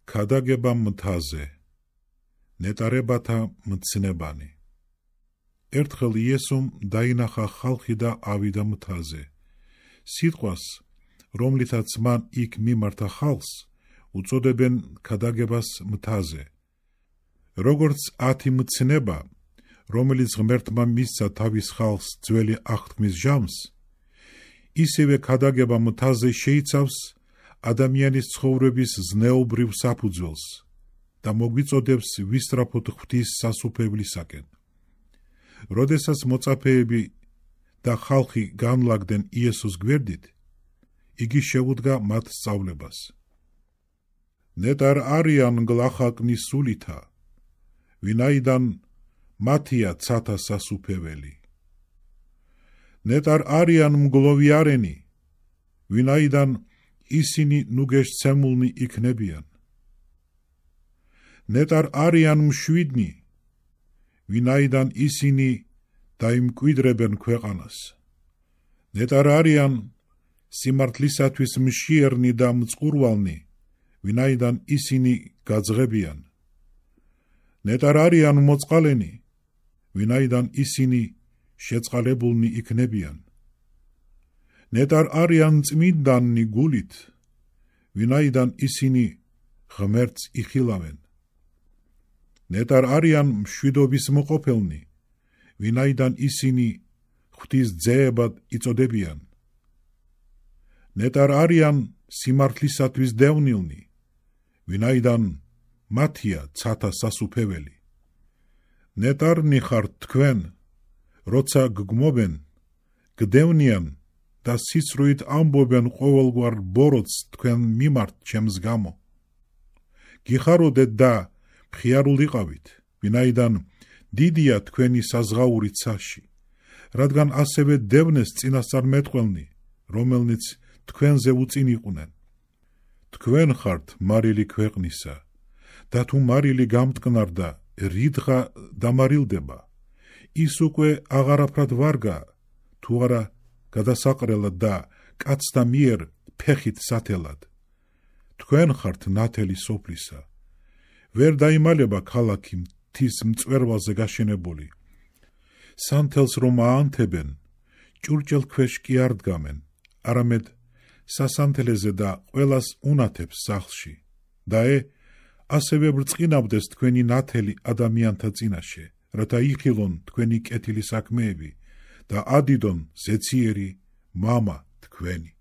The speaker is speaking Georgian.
ქადაგება მთაზე, ნეტარებათა მცნებანი. ერთხელ იესომ დაინახა ხალხი და ავიდა მთაზე. სიტყვას, რომლითაც მან იქ მიმართა ხალხს, უწოდებენ ქადაგებას მთაზე. როგორც 10 მცნება, რომელიც ღმერთმა მისცა თავის ხალხს ძველი აღთქმის ჟამს, ისევე ქადაგება მთაზე შეიცავს ადამიანის ცხოვრების ზნეობრივ საფუძველს და მოგვიწოდებს ვისწრაფოთ ღვთის სასუფევლისაკენ. როდესაც მოწაფეები და ხალხი განლაგდნენ იესოს გვერდით, იგი შეუდგა მათ სწავლებას. ნეტარ არიან გლახაკნის სულითა, ვინაიდან მათია ცათა სასუფეველი. ნეტარ არიან მგლოვიარენი, ვინაიდან ისინი ნუგეშცემულნი იქნებიან. ნეტარ არიან მშვიდნი, ვინაიდან ისინი დაიმკვიდრებენ ქვეყანას. ნეტარ არიან სიმართლისათვის მშიერნი და მწყურვალნი, ვინაიდან ისინი გაძღებიან. ნეტარ არიან მოწყალენი, ვინაიდან ისინი შეწყალებულნი იქნებიან. ნეტარ არიან წმინდანი გულით, ვინაიდან ისინი ღმერთს იხილავენ. ნეტარ არიან მშვიდობის მოყოფელნი, ვინაიდან ისინი ღვთის ძეებად იწოდებიან. ნეტარ არიან სიმართლისათვის დევნილნი, ვინაიდან მათია ცათა სასუფეველი. ნეტარნი ხართ თქვენ, როცა გგმობენ, გდევნიან და სიცრუით ამბობენ ყოველგვარ ბოროტს თქვენ მიმართ ჩემს გამო. გიხაროდეთ და მხიარულიყავით, ვინაიდან დიდია თქვენი საზღაური ცაში, რადგან ასევე დევნეს წინასწარმეტყველნი, რომელნიც თქვენზე უწინ იყვნენ. თქვენ ხართ მარილი ქვეყნისა, და თუ მარილი გამტკნარდა, რიდღა დამარილდება, ის უკვე აღარაფრად ვარგა, თუ არა გადასაყრელად და კაცთა მიერ ფეხით სათელად. თქვენ ხართ ნათელი სოფლისა. ვერ დაიმალება ქალაქი მთის მწვერვალზე გაშენებული. სანთელს რომ აანთებენ, ჭურჭელ ქვეშ კი არ დგამენ, არამედ სასანთელეზე და ყველას უნათებს სახლში. და ასევე ბრწყინავდეს თქვენი ნათელი ადამიანთა წინაშე, რათა იხილონ თქვენი კეთილი საქმეები და ადიდონ ზეციერი მამა თქვენი.